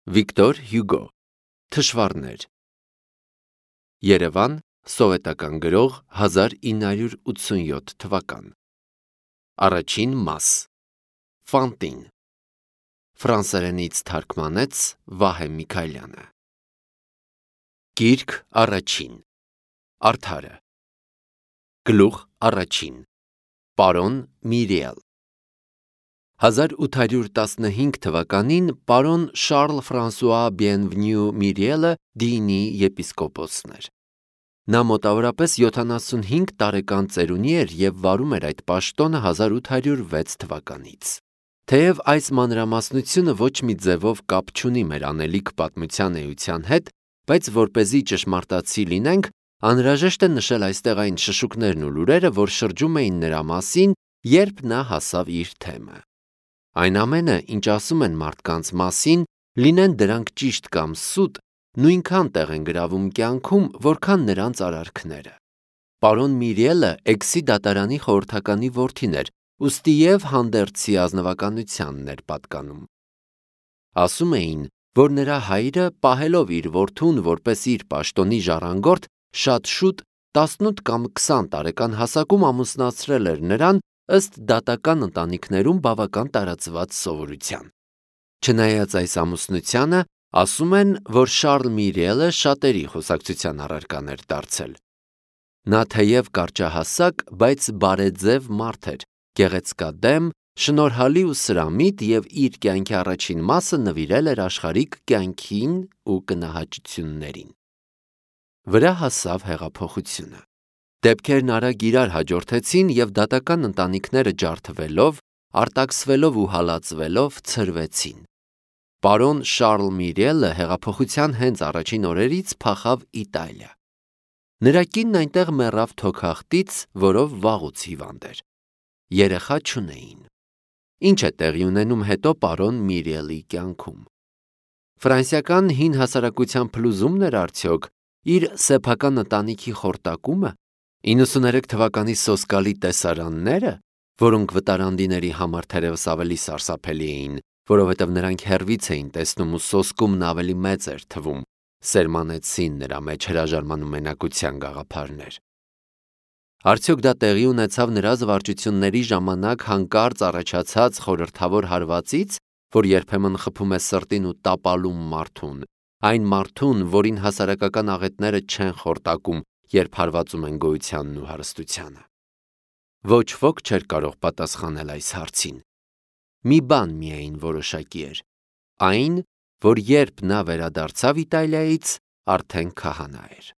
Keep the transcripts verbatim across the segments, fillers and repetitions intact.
Վիկտոր Հյուգո Թշվառներ Երևան Սովետական գրող հազար ինը հարյուր ութսունյոթ թվական Առաջին մաս Ֆանտին Ֆրանսերենից թարգմանեց Վահե Միքայելյանը Գիրք առաջին Արդարը Գլուխ առաջին Պարոն Միրիել հազար ութ հարյուր տասնհինգ թվականին պարոն Շարլ Ֆրանսուଆ Բիենվենյու Միրիելը Դիինի եպիսկոպոսն էր։ Նա մոտավորապես յոթանասունհինգ տարեկան ծերունի էր և վարում էր այդ պաշտոնը հազար ութ հարյուր վեց թվականից։ Թեև այս մանրամասնությունը ոչ մի ձևով կապ չունի մեր անելիք պատմության էության հետ, բայց որպեսզի ճշմարտացի լինենք, անհրաժեշտ է նշել այստեղ այն շշուկներն ու լուրերը, որ շրջում էին նրա մասին, երբ նա հասավ իր թեմը։ Այն ամենը, ինչ ասում են մարդկանց մասին, լինեն դրանք ճիշտ կամ սուտ, նույնքան տեղ են գրավում կյանքում, որքան նրանց արարքները։ Պարոն Միրիելը Էքսի դատարանի խորհրդականի որդին էր, ուստի և հանդերձի ազնվականությանն էր պատկանում։ Ասում էին, որ նրա հայրը, պահելով իր որդուն որպես իր պաշտոնի ժառանգորդ, շատ շուտ, տասնութ կամ քսան տարեկան հասակում ամուսնացրել էր նրան, ըստ դատական ընտանիքներում բավական տարածված սովորության։ Չնայած այս ամուսնությանը, ասում են, որ Շարլ Միրիելը շատերի խոսակցության առարկան էր դարձել։ Նա թեև կարճահասակ, բայց բարեձև մարդ էր, գեղեցկադեմ, շնորհալի ու սրամիտ և իր կյանքի առաջին մասը նվիրել էր աշխարհիկ կյանքին ու կնահաճություններին։ Վրա հասավ հեղափոխությունը։ Դեպքերն արագ իրար հաջորդեցին և դատական ընտանիքները ջարդվելով, արտաքսվելով ու հալածվելով ցրվեցին։ Պարոն Շարլ Միրիելը հեղափոխության հենց առաջին օրերից փախավ Իտալիա։ Նրա կինն այնտեղ մեռավ թոքախտից, որով վաղուց հիվանդ էր։ Երեխա չունեին։ Ինչ է տեղի ունենում հետո պարոն Միրիելի կյանքում։ Ֆրանսիական հին հասարակության փլուզումն էր արդյոք, իր սեփական ընտանիքի խորտակումը, իննսուններեք թվականի սոսկալի տեսարանները, որոնք վտարանդիների համար թերևս ավելի սարսափելի էին, որովհետև նրանք հեռվից էին տեսնում ու սոսկումն ավելի մեծ էր թվում, սերմանեցին նրա մեջ հրաժարման ու մենակության գաղափարներ։ Արդյոք դա տեղի ունեցավ նրա զվարճությունների ժամանակ հանկարծ առաջացած խորհրդավոր հարվածից, որ երբեմն խփում է սրտին ու տապալում մարդուն, այն մարդուն, որին հասարակական աղետները չեն խորտակում, երբ հարվածում են գոյությանն ու հարստությանը։ Ոչ ոք չէր կարող պատասխանել այս հարցին։ Մի բան միայն որոշակի էր, այն, որ երբ նա վերադարձավ Իտալիայից, արդեն քահանա էր։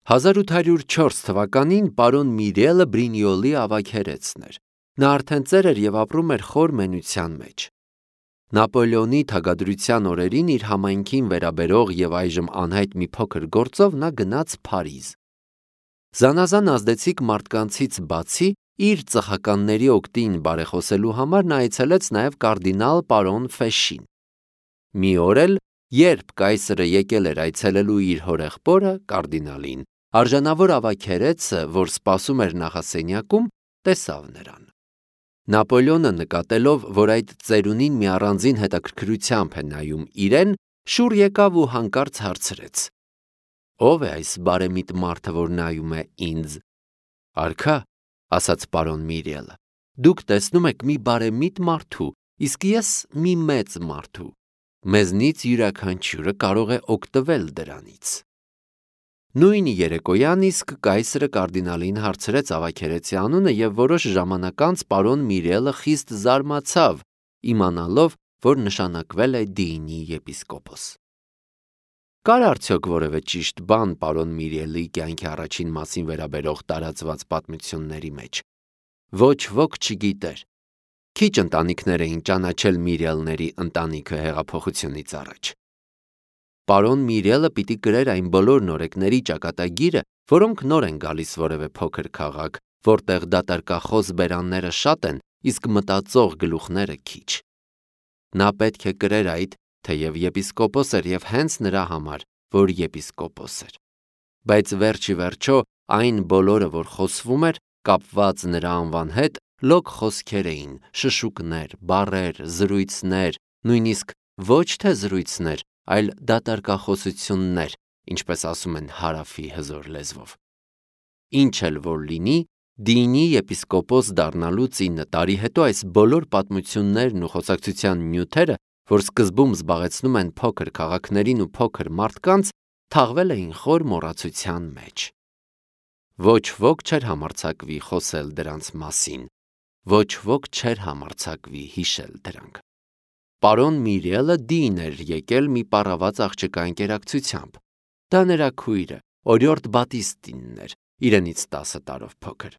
հազար ութ հարյուր չորս թվականին պարոն Միրիելը Բրինյոլի ավագերեցն էր։ Նա արդեն ծեր էր և ապրում էր խոր մենության մեջ։ Նապոլեոնի թագադրության օրերին իր համայնքին վերաբերող և այժմ անհայտ մի փոքր գործով նա գնաց Փարիզ։ Զանազան ազդեցիկ մարդկանցից բացի, իր ծխականների օգտին բարեխոսելու համար նա այցելեց նաև կարդինալ պարոն Ֆեշին։ Մի օր էլ, երբ կայսրը եկել էր այցելելու իր հորեղբորը, կարդինալին, արժանավոր ավագերեցը, որ սպասում էր նախասենյակում, տեսավ նրան։ Նապոլեոնը նկատելով, որ այդ ծերունին մի առանձին հետաքրքրությամբ է նայում իրեն, շուռ եկավ ու հանկարծ հարցրեց. «Ո՞վ է այս բարեմիտ մարդը, որ նայում է ինձ»։ «Արքա», ասաց պարոն Միրիելը, «դուք տեսնում եք մի բարեմիտ մարդու, իսկ ես մի մեծ մարդու։ Մեզնից յուրաքանչյուրը կարող է օգտվել դրանից»։ Նույն երեկոյան իսկ կայսրը կարդինալին հարցրեց ավագերեցի անունը և որոշ ժամանակ անց պարոն Միրիելը խիստ զարմացավ, իմանալով, որ նշանակվել է Դիինի եպիսկոպոս։ Կար արդյոք որևէ ճիշտ բան պարոն Միրիելի կյանքի առաջին մասին վերաբերող տարածված պատմությունների մեջ։ Ոչ ոք չգիտեր։ Քիչ ընտանիքներ էին ճանաչել Միրիելների ընտանիքը հեղափոխությունից առաջ։ Պարոն Միրիելը պիտի կրեր այն բոլոր նորեկների ճակատագիրը, որոնք նոր են գալիս որևէ փոքր քաղաք, որտեղ դատարկախոս բերանները շատ են, իսկ մտածող գլուխները քիչ։ Նա պետք է կրեր այդ, թեև եպիսկոպոս էր և հենց նրա համար, որ եպիսկոպոս էր։ Բայց վերջ ի վերջո այն բոլորը, որ խոսվում էր, կապված նրա անվան հետ, լոկ խոսքեր էին, շշուկներ, բառեր, զրույցներ, նույնիսկ ոչ թե զրույցներ, այլ դատարկախոսություններ, ինչպես ասում են հարավի հզոր լեզվով։ Ինչ էլ որ լինի, Դինի եպիսկոպոս դառնալուց ինը տարի հետո այս բոլոր պատմություններն ու խոսակցության նյութերը, որ սկզբում զբաղեցնում են փոքր քաղաքներին ու փոքր մարդկանց, թաղվել էին խոր մոռացության մեջ։ Ոչ ոք չէր համարձակվի խոսել դրանց մասին, ոչ ոք չէր համարձակվի հիշել դրանք։ Պարոն Միրիելը դին էր եկել մի պառաված աղջկա ընկերակցությամբ։ Դա նրա քույրը, օրիորդ Բատիստինն էր, իրենից տասը տարով փոքր։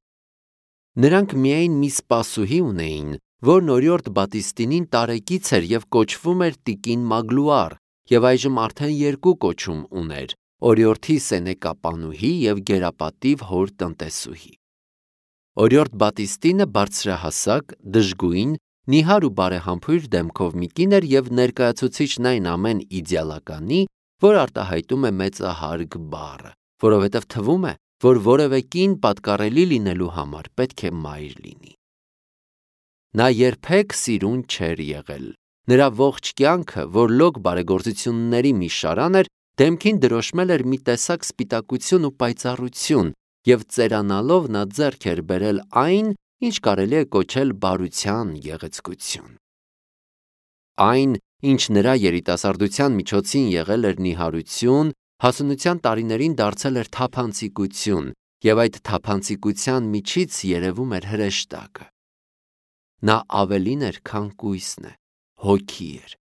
Նրանք միայն մի սպասուհի ունեին, որն օրիորդ Բատիստինին տարեկից էր և կոչվում էր տիկին Մագլուար, և այժմ արդեն երկու կոչում ուներ՝ օրիորդի սենեկապանուհի և գերապատիվ հոր տնտեսուհի։ Օրիորդ Բատիստինը բարձրահասակ, դժգույն, նիհար ու բարեհամբույր դեմքով մի կին էր և ներկայացուցիչն այն ամեն իդեալականի, որ արտահայտում է մեծահարգ բառը, որովհետև թվում է, որ որևէ կին պատկառելի լինելու համար պետք է մայր լինի։ Նա երբեք սիրուն չէր եղել։ Նրա ողջ կյանքը, որ լոկ բարեգործությունների մի շարան էր, դեմքին դրոշմել էր մի տեսակ սպիտակություն ու պայծառություն, և ծերանալով նա ձեռք էր բերել այն, ինչ կարելի է կոչել բարության գեղեցկություն։ Այն, ինչ նրա երիտասարդության միջոցին եղել էր նիհարություն, հասունության տարիներին դարձել էր թափանցիկություն, և այդ թափանցիկության միջից երևում էր հրեշտակը։ Նա ավելին էր, քան կույսն է, հոգի էր։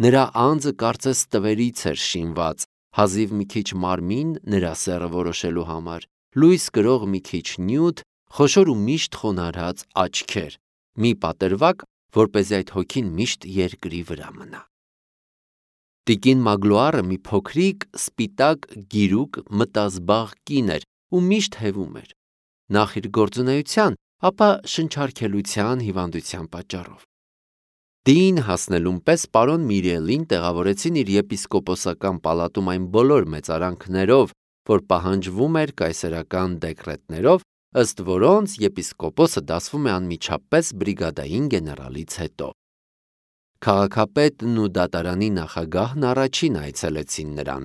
Նրա անձը կարծես տվերից էր շինված, հազիվ մի քիչ մարմին նրա սեռը որոշելու համար, լույս կրող մի քիչ նյութ, խոշոր ու միշտ խոնարհած աչքեր, մի պատրվակ, որպեսզի այդ հոգին միշտ երկրի վրա մնա։ Տիկին Մագլուարը մի փոքրիկ, սպիտակ, գիրուկ, մտազբաղ կին էր ու միշտ հևում էր, նախ իր գործունեության, ապա շնչարգելության հիվանդության պատճառով։ Դին հասնելուն պես պարոն Միրիելին տեղավորեցին իր եպիսկոպոսական պալատում այն բոլոր մեծարանքներով, որ պահանջվում էր կայսերական դեկրետներով, ըստ որոնց եպիսկոպոսը դասվում է անմիջապես բրիգադային գեներալից հետո։ Քաղաքապետն ու դատարանի նախագահն առաջին այցելեցին նրան,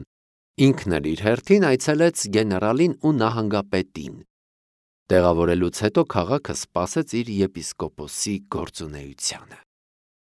ինքն էլ իր հերթին այցելեց գեներալին ու նահանգապետին։ Տեղավորելուց հետո քաղաքը սպասեց իր եպիսկոպոսի գործունեությանը։